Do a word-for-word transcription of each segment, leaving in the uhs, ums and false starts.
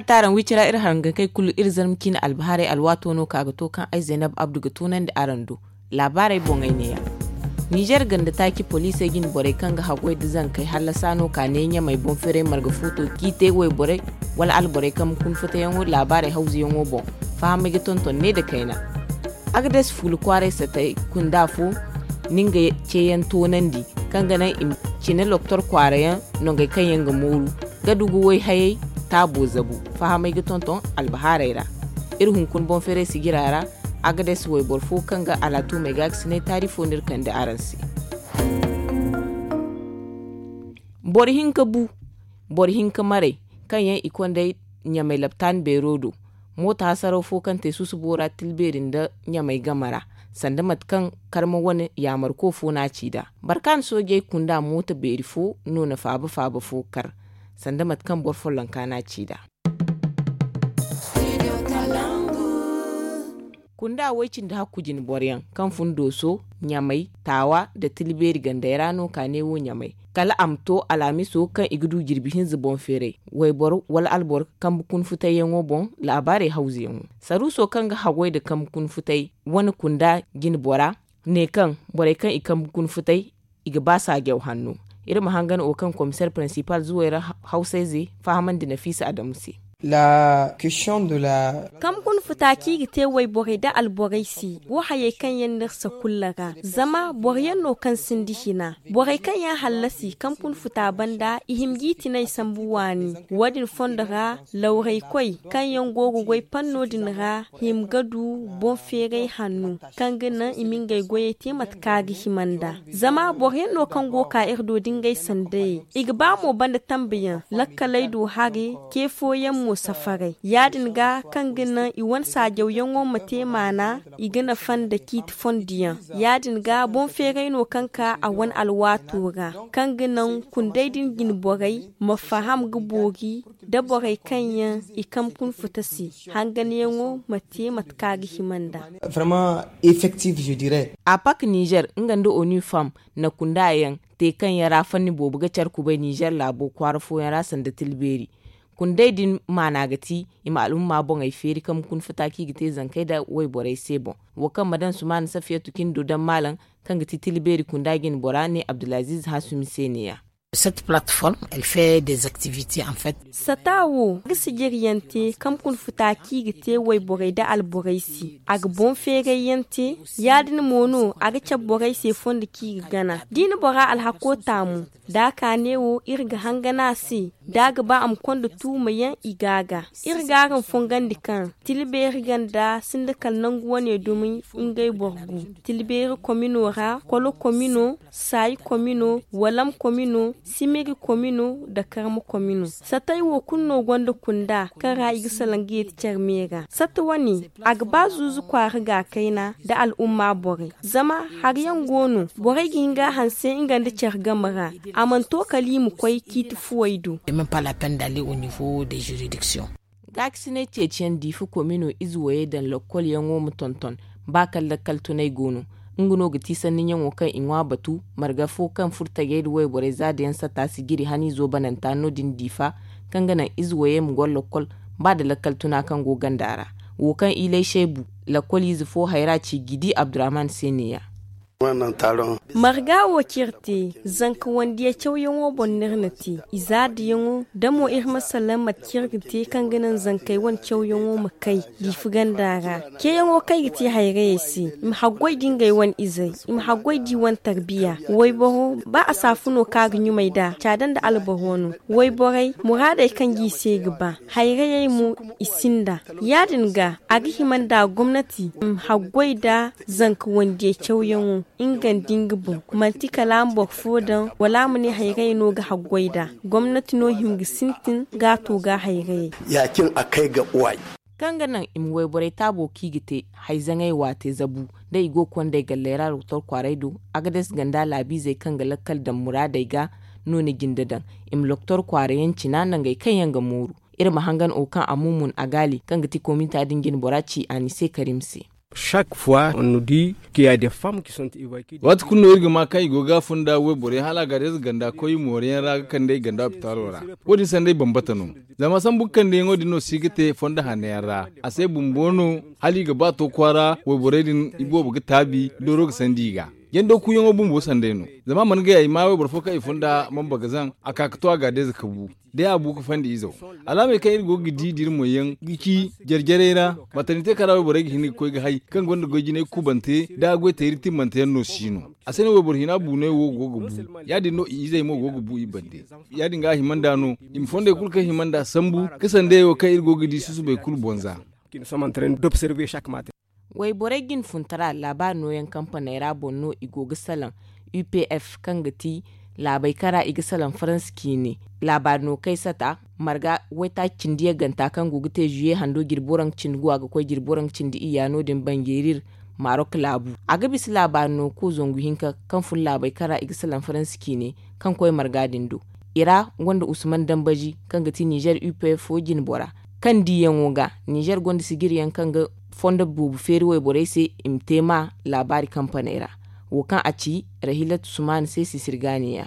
Taaraŋ wicira iri harangankey kulu iri zarma ciine albahaarey alwaato no ka ga to kaŋ ay zaynab abdu ga toonandi araŋ do. Laabaarey boŋey neeya. Ninzeer ganda taaci poliisey jine borey kaŋ ga haggoy nda zankey hallasa no ka ne ɲamey boŋ feeray marga footo ciitey wayborey wala alborey kambe kuna futayaŋo laabaarey hawzuyaŋo boŋ. Fahamey ga tonton ne nda kayna. Agades fuula kwaaray satay kunda fo, na nga ceeyaŋ toonandi kaŋ ga naŋ i ma cine loktor kwaara yaŋ nongey kaŋ yaŋ ga mooru ga dugu way hayey taabo zabu. Fahamey ga tonton albahaarey ra. Iri hunkuna boŋ feeray sijira ra. Agades wayboro fo kaŋ ga alaatumey ga ga sinay taari fo no iri kande araŋ se. Boro hinka bu boro hinka maray kaŋ yaŋ i konday ɲamay laptaani beero do. Mooto hasaraw fo kaŋ te susubo ra tilbeeri nda ɲamay game ra, sanda mate kaŋ karma wane yaamarko fo no a ci nd'a. Barkaana soojey kunda mooto beeri fo no na faaba faaba fo kar, sanda mate kaŋ boro follonka no a ci nd'a. Kunda way cindi hakku jine boroyaŋ kaŋ fun dooso ɲamay taawa nda tilbeeri gandey ra no ka ne wo ɲamay, kala a ma to alhamiso kaŋ i ga du jirbi hinza boŋ feeray wayboro wala alboro kambe kuna futayyaŋo boŋ. Laabaarey hawzuyaŋo saruuso kaŋ ga haggoy nda kambe kuna futay wane kunda jine bora ne kaŋ borey kaŋ i kambe kuna futay i ga ba saajaw hanno. Iri ma hangan wo kaŋ komiseer pirinsipal zuwey ra hawsayze fahamandi nafiisa adamu se. Kambe kuna futa kaŋ i ga te wayborey nda alborey se wo hayey kaŋ yaŋ no iri sakulla ra zama boro yaŋ no kaŋ sinda hina. Borey kaŋ yaŋ hallasi kambe kuna futa banda i hima g'i tinay sambu waani. Wo- din fondo ra lawraykoy kaŋ yaŋ go ga goy panno din ra hima ga du boŋ feeray hanno kaŋ ga naŋ i ma ngey goyey te mate kaŋ a ga hima nd'a. Zama boro yaŋ no kaŋ go ga ka iri do da ngey sandayey i ga ba mo banda tambayaŋ lakkaley do hare. Ce fooyaŋ mo safaray ya- din ga kaŋ ga naŋ i wane saajawyaŋo ma te maana. I ga nafa nda ciiti fondo yaŋ ya- din ga boŋ feeray no kaŋ ka a wane alwaato ra kaŋ ga naŋ kunday din jine borey ma faham ga boori da borey kaŋ yaŋ i kambe kuna futa se hanganyaŋo ma te mate kaŋ a ga hima nd'a. Vraiment effectif je dirais. Apak nizer nga nda onu fam na kunda yaŋ te kaŋ yaŋ ra fanni boobo ga care kubay nizer laabo kwaara fooyaŋ ra sanda tilbeeri. Kunday din maana ga ti i ma al'umma boŋey feeri kambe kuna futa kaŋ i ga te zankey nda wayborey se boŋ. Wo kaŋ ma daŋ sumaana safiyatu cine do daŋ maalaŋ kaŋ ga ti tilbeeri kunda jine bora ne abdulaziiz hasumi se neeya. Cette plateforme elle fait des activités en fait. Sata wo ga sijiryaŋ te kambe kuna futa kaŋ i ga te wayborey nda alborey se a ga boŋ feerayyaŋ te. Ya- din mo no a ga cabe borey se fondo kaŋ i ga gana da i na bora alhako taamu da a ka neewo iri ga hangan a se da a ga ba a ma konda tuumayaŋ i ga a ga. Iri ga araŋ fongandi kaŋ tilbeeri ganda sinda kala nangu wane dumi ngey boro gu tilbeeri komino ra kolo komino saayi komino walam komino simiri komino nda karma komino. Satey wo kulu no gonda kunda kaŋ ra i ga salaŋ ga yeeti care me ra sata wane a ga ba zuuzu kwaara ga kayna nda al'umma borey zama hari yaŋ go no borey ga hin ga a hanse nga nda care game ra. A mana to kala i ma koy ciiti fuwey do. Gaakasinay ceeciyaŋ diifa komino ize wayey daŋ lokkolyaŋo ma tonton ba kala lakkal tunay go no. Nga no ga ti sanniyaŋo kaŋ i ŋwa batu marga fo kaŋ furo tajey nda wayborey za da yaŋ satta sijiri haniizo bananta no- din diifa kaŋ ga naŋ ize wayey ma goro lokkol ba nda lakkal tuna kaŋ go ganda ra. Wo kaŋ ilay shaybu lakkol ize fo hayra ci gidi abdurrahman se neeya. Marga wo kaŋ iri te zanka wandiya cawyaŋo boŋ no iri na te i zaadayaŋo da mo iri ma salaŋ mate kaŋ iri ga te kaŋ ga naŋ zankey wane cawyaŋo ma kay diifa ganda ra. Ceeyaŋo kaŋ i ga te hayrayey se i ma haggoy da ngey wane izey i ma haggoy da i wane tarbiya wayboro ba a saafu no kaŋ a ga ɲumay nd'a caada nda alboro no. Wayborey muraadey kaŋ ga i se ga ba hayrayey mo i sinda. Ya- din ga a ga hima nda gomnati ma haggoy nda zanka wandiya cawyaŋo nga nda nga boŋ manti kala a ma boro fo daŋ wala a ma ne hayrayey no ga haggoy nd'a. Gomnati no hima ga sintin ga a to ga hayrayey. Ya- cin a kay ga uway. Kaŋ ga naŋ i ma wayborey taabo kaŋ i ga te hayzaŋey waate zabu da i go ga kond'ey galley ra doktor kwaaray do. Agades ganda laabiizey kaŋ ga lakkal daŋ muraadey ga no na jinde daŋ i ma doktor kwaara yaŋ cina nangey kaŋ yaŋ ga mooru. Iri ma hangan o kaŋ a mumun agaali kaŋ ga ti komita din jine bora ci a ni se karim se. Chaque fois on nous dit qu'il y a des femmes qui sont évacuées. Waati kulu no iri ga ma kaŋ i go ga funda wayborey hala a ga day za ganda koy mooriyaŋ ra ga kande i ganda hopitalo ra. Wo- din sanday bambata no. Zama sambu ga kande yaŋo din no si ga te fondo hanno yaŋ ra. A se bumbo no hala i ga ba to kwaara wayborey din i boobo ga taabi dooro ga sandi i ga. Yando kuuyaŋo bumbo sanday no. Zama a mana gay ay ma wayboro fo kaŋ i funda mamba ga zaŋ a ka ga to a ga day za ka bu. Day a bu ga fandi izo. Alaamey kaŋ iri go ga di da iri moy yaŋ ga ci jare-jarey ra. Matanite kaŋ ra wayborey ga hin ga koy ga hay kaŋ gonda goy jinay kubante da a goy teeri timmante yaŋ no si no. A se no wayboro hina buunay wo go ga bu. Ya- din no i izey mo go ga bu i bande. Ya- din ga a hima nd'a no i ma fondey kulu kaŋ hima nd'a sambu ga sandayey wo kaŋ iri go ga di susubey kulu bonza. Wayborey jinfuntara laabaari nooyaŋ kampaney ra boŋ no i go ga salaŋ. U p f kaŋ ga ti laabey kaŋ ra i ga salaŋ faransa ciine. Laabaari no kay sata marga waytaaci cindi yagganta kaŋ go ga te zuye hando jirbi waranka cindi guwa ga koy jirbi waranka cindi iyya no- din banjeeri iri maarok laabu. A ga bisa laabaari no ko zangu hinka kaŋ fun laabey kaŋ ra i ga salaŋ faransa ciine kaŋ koy marga din do. I ra gonda usman dambazi kaŋ ga ti nizer u p f fo jinbora. Kaŋ diyaŋo ga nizer gonda sijiriyaŋ kaŋ ga fondo boobo feeri wayborey se i ma te ma laabaari kampaney ra. Wo kaŋ a ci rahilat usman se sisir ga ne ya.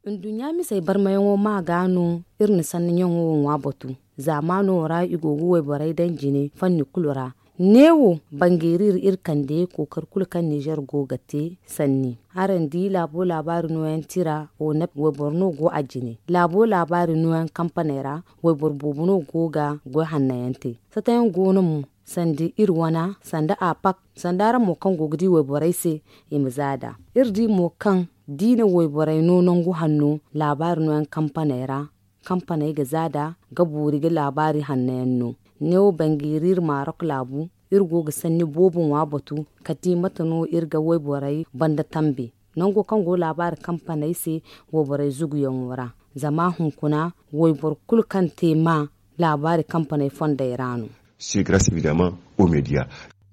Nduɲɲa misey barmayaŋo ma ga no iri na sanni ɲaŋo wo ŋwa batu. Zaamaano ra i go ga wayborey daŋ jine fanni kulu ra. Neewo bangeeri iri kande kookari kulu kaŋ nizer go ga te sanni. Araŋ di laabo laabaari nooyaŋ tira wo na wayboro no go a jine. Laabo laabaari nooyaŋ kampaney ra wayboro boobo no go ga goy hanno yaŋ te. Satayaŋ go no mo sanda iri wana sanda apak sanda araŋ mo kaŋ go ga di wayborey se i ma za nd'a. Iri di mo kaŋ da i na wayborey no nangu hanno laabaari nooyaŋ kampaney ra. Kampaney ga za nd'a ga boori ga laabaari hanno yaŋ no. Neewo bangeeri iri maarok laabu iri go ga sanni boobo ŋwa batu kala da i mate no iri ga wayborey banda tambe. Nango kaŋ go laabaari kampaney se wayborey zuguyaŋo ra. Zama hunkuna wayboro kulu kaŋ te ma laabaari kampaney fondey ra no.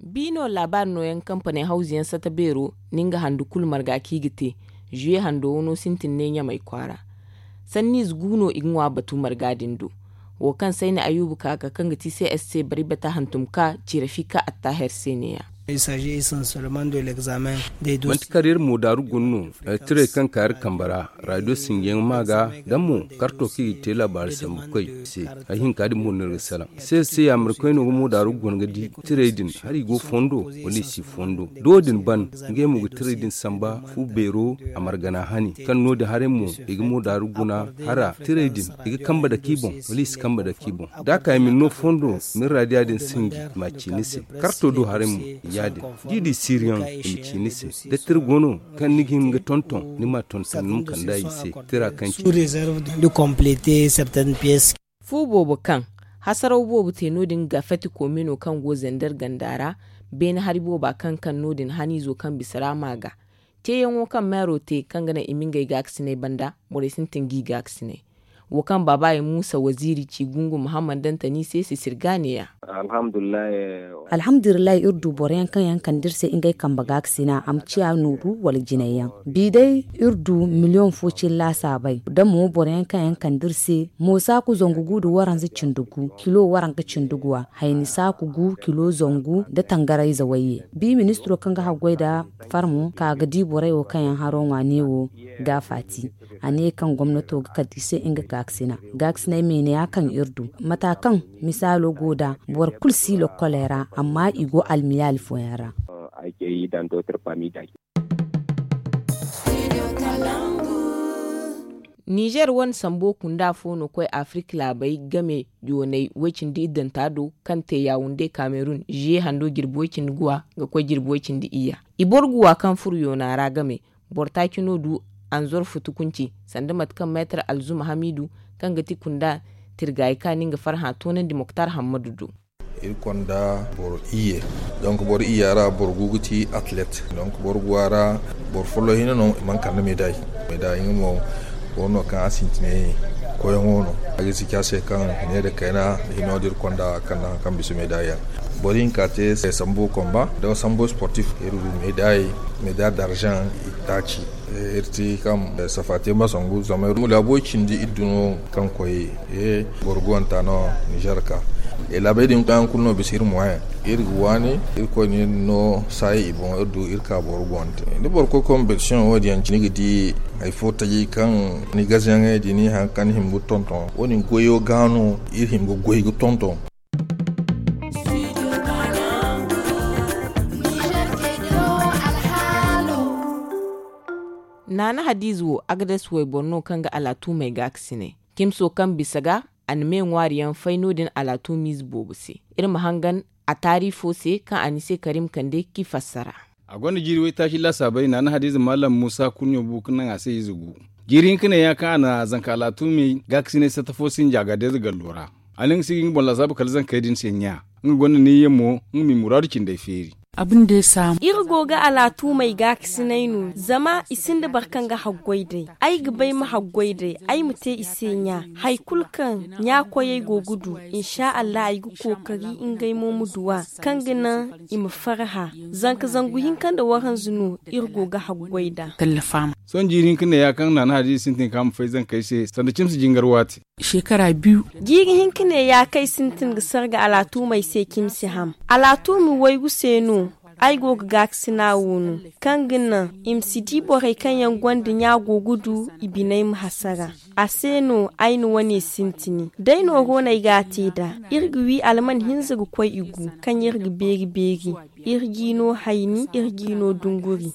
Biino laabaari nooyaŋ kampaney hawzu yaŋ sata beero ni nga handu kulu marga kaŋ i ga te. Zuye hando wano sintin ne ɲamay kwaara. Sanniize gu no i ga ŋwa batu marga din do. Wo kaŋ sayni ayuba kaaka kaŋ ga ti c s c bari bata hantum ka ci rafika attaher se ne ya. Manti kar iri moodaaru guna no. Tirey kaŋ ka iri kambe ra raadiyo sinjiyaŋ ma ga da mo karto kaŋ i ga te laabaari sambu koy se. Hari hinka din mo no iri ga salaŋ se se yaamarikoy no ga moodaaru guna ga di tirey din hari i go fondo wala i si fondo da wo- din ban. Ngey mo ga tirey din samba fu beero a margana hani kaŋ no- din haray mo i ga moodaaru guna hara tirey din i ga kambe dake i boŋ wala i si kambe dake i boŋ. Da a ka i ma ni no fondo ma ni raadiya din sinji i ma a ci ni se. Karto do haray mo ya- din da i di siiriyaŋ i ma ci ni se. Da tira go no kaŋ ni ga hin ga tonton ni ma a tonton ni ma kand'a i se. Tira kaŋ ci fu boobo kaŋ hasaraw boobo te no- din ga fati koomino kaŋ go zender ganda ra. Beene hari booba kaŋ kaŋ no- din haniizo kaŋ bisa ra ma ga ceeyaŋo kaŋ meero te kaŋ ga naŋ i ma ngey gaakasiney banda borey sintin g'i gaakasiney. Wo kaŋ baaba ye muusa waziiri ci gungu muhammad dantani se sisir ga ne ya. Alhamdulillahi iri du boro yaŋ kaŋ yaŋ kande iri se ngey kambe gaakasina a ma ciya nooru wala jinay yaŋ. Bi day iri du miliyoŋ fo cine laasaabey da mo boro yaŋ kaŋ yaŋ kande iri se. Mo saaku zangu gu nda waranza cindi gu kilo waranka cindi guwa hayni saaku gu kilo zangu nda tangarayze wayye. Bi ministiro kaŋ ga haggoy nda farmo ka ga di borey wo kaŋ yaŋ haro ŋwa neewo ga faati. A ne kaŋ gomnato ga kande i se nga gaakasina. Gaakasiney meene ya kaŋ iri du mata kaŋ misaalo go nda boro kulu si lokkoley ra amma i go almiyaali fooyaŋ ra. Nizer wane sambo kunda fo no koy afirika laabey game yooney woy cindi iddanta do kaŋ te yawunde kamerun ziye hando jirbi woy cindi guwa ga koy jirbi woy cindi iyya. I boro guwa kaŋ furo yoona ra game boro taaci no du anzor futu kunci sanda mate kaŋ meetar alzuma hamidu kaŋ ga ti kunda tirgaayi kaani nga farhã toonandi moktar hammadu do. Iri konda boro iyye. Donk boro iyya ra boro gu ga ti atlet donk boro guwa ra boro follo hina no i mana kande meday. Meday nga mo boro no kaŋ a sintinay koyaŋo no a ga siki a se kaŋ ne da kayna hino da iri konda kande haŋ kaŋ bisa meday yaŋ. Boro hinka te sambu komba da sambu sportif iri du meday meday d'argent itaaci. Iri ti kaŋ safa te ma sangu zama iri mu laabo cindi iddu no kaŋ koy boro guwanta no nizer ka Laabey din kaŋ kulu no bisa iri moyen, iri ga waani. Irkoy no iri no saayi i boŋ, iri du iri ka boro boŋ te. Da boro koy competition wo- din yaŋ cine, ni ga di hari fo tajay kaŋ ni gazayaŋey din hari kaŋ ni hima ga tonton wo- din goyo ga no iri hima ga goy ga tonton. Naana hadiize wo agades wayboro no kaŋ ga alaatumey gaakasinay. Cimso kaŋ bisa ga a na me ŋwaari yaŋ fay no- din alaatumiize boobo se. Iri ma hangan a taari fo se kaŋ a ni se karim kande k'i fassara. A gonda jiiri waytaaci laasaabey naana hadiize maalam muusa kurɲo bu ga naŋ a se ize gu. Jiiri hinka ne ya kaŋ a na zanka alaatumey gaakasinay satta fo sinja ga deeza gallo ra. A ne nga si ga nga boŋ laasaabu kala zankey din se ɲa. Nga gonda niyyamo nga m'i muraadu cindey feeri. Iri go ga alaatumey gaakasinay no zama i sinda boro kaŋ ga haggoy day. Ay ga bay ma haggoy day ay ma te i se ɲa. Hari kulu kaŋ ɲa koyey go ga du, insa allah ay ga kookari ngey mo ma du a, kaŋ ga naŋ i ma farhã. Zanka zangu hinka nda waranza no iri go ga haggoy nd'a. Sohõ jiiri hinka ne ya kaŋ naana hadiize sintin kaŋ a ma fay zankey se sanda cimsi jingar waati. Jiiri hinka ne ya kaŋ ay sintin ga sarga alaatumey se cimsi ham. Alaatumi waygu se no ay go ga gaakasina wo no, kaŋ ga naŋ i ma si di borey kaŋ yaŋ gonda ɲa go ga du i biney ma hasara. A se no ay na wane sintini day nooro no ay ga a te nd'a. Iri ga wi alman hinza ga koy i gu kaŋ iri ga beeri beeri. Iri g'i no hayni, iri g'i no dunguri.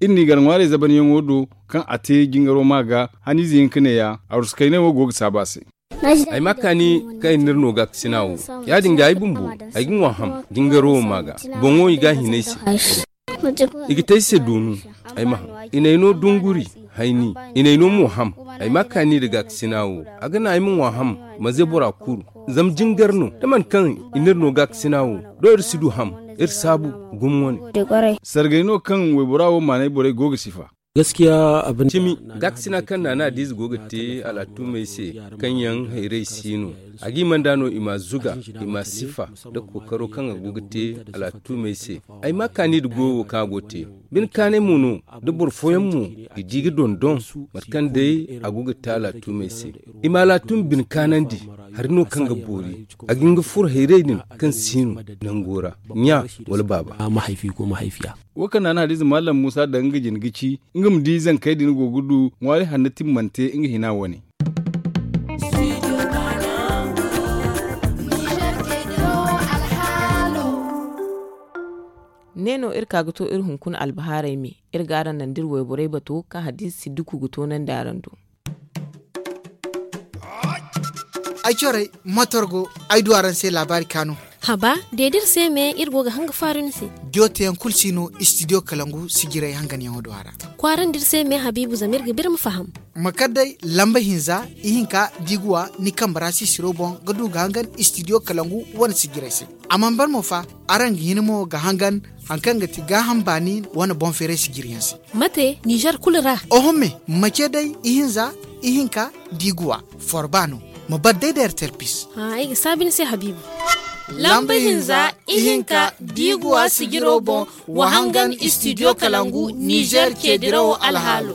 Iri n'i gar ŋwaarey zabanyaŋo do kaŋ a te jingaro ma ga. Haniize hinka ne ya arusakayney wo go ga saabu a se. Ay ma kaani kaŋ ay n'iri no gaakasina wo. Ya- din ga ay bumbo ay ga ŋwa ham. Jingaro wo ma ga boŋo i ga a hin ay se. I ga te ay se doonu. Ay ma ham. I n'ay no dunguri. Hayni i n'ay no mo ham. Ay ma kaani nda gaakasina wo. A ga naŋ ay ma ŋwa ham. Ma ze bora kuru. Zama jingar no da mate kaŋ i n'iri no gaakasina wo. Doŋ iri si du ham. Iri saabu gumo wane. Sargay no kaŋ waybora wo maanay borey go ga sifa. Cimi gaakasina kaŋ naana hadiize go ga te alaatumey se, kaŋ yaŋ hayray si no. A g'i manda no i m'a zuga, i m'a sifa nda kookaro kaŋ a go ga te alaatumey se. Ay ma kaani nda goyo wo kaŋ a go ga te. Bine kaanay mo no. Da boro fooyaŋ mo i di ga dondon mate kaŋ day a go ga te alaatumey se. I ma alaatumi bine kaanandi. Hari no kaŋ ga boori. A ga hin ga furo hayray din kaŋ si no nango ra. Ɲa wala baaba. Wo kaŋ naana hadiize maalam muusa daŋ nga jine ga ci nga ma di zankey din go ga du ŋwaari hanno timmante nga hina wane. Ne no iri ka ga to iri hunkuna albahaarey me. Iri ga araŋ naŋ da iri wayborey bato kaŋ hadiize siddiku ga toonandi araŋ do. Ay corey mator go. Ay du araŋ se laabaari kaanu. Haba, de da iri se me iri go ga hanga faaru ni se. Diyo teyaŋ kulu si no istidiyo kalangu sijirey hanganyaŋo do a ra. Kwaarandi iri se me habiibu zama iri ga biri ma faham. Ma kar day lamba hinza ihinka da i ga wa ni kambe ra sisiro boŋ ga du ga hangan istidiyo kalangu wane sijirey se. A mana ban mo fa, araŋ ga hin mo ga hangan hari kaŋ ga ti gaaham baani wane boŋ feeray sijiriyaŋ se. Mate nizer kulu ra? Oho me, mace day ihinza ihinka da i ga wa forba no. Ma bar day da ertel pis. Ay ga saabi ni se habiibu. Lamba hinza ihinka da i ga wa sijiro boŋ. Wa hangan istidiyo kalangu nizer ceedirawo alhaalo.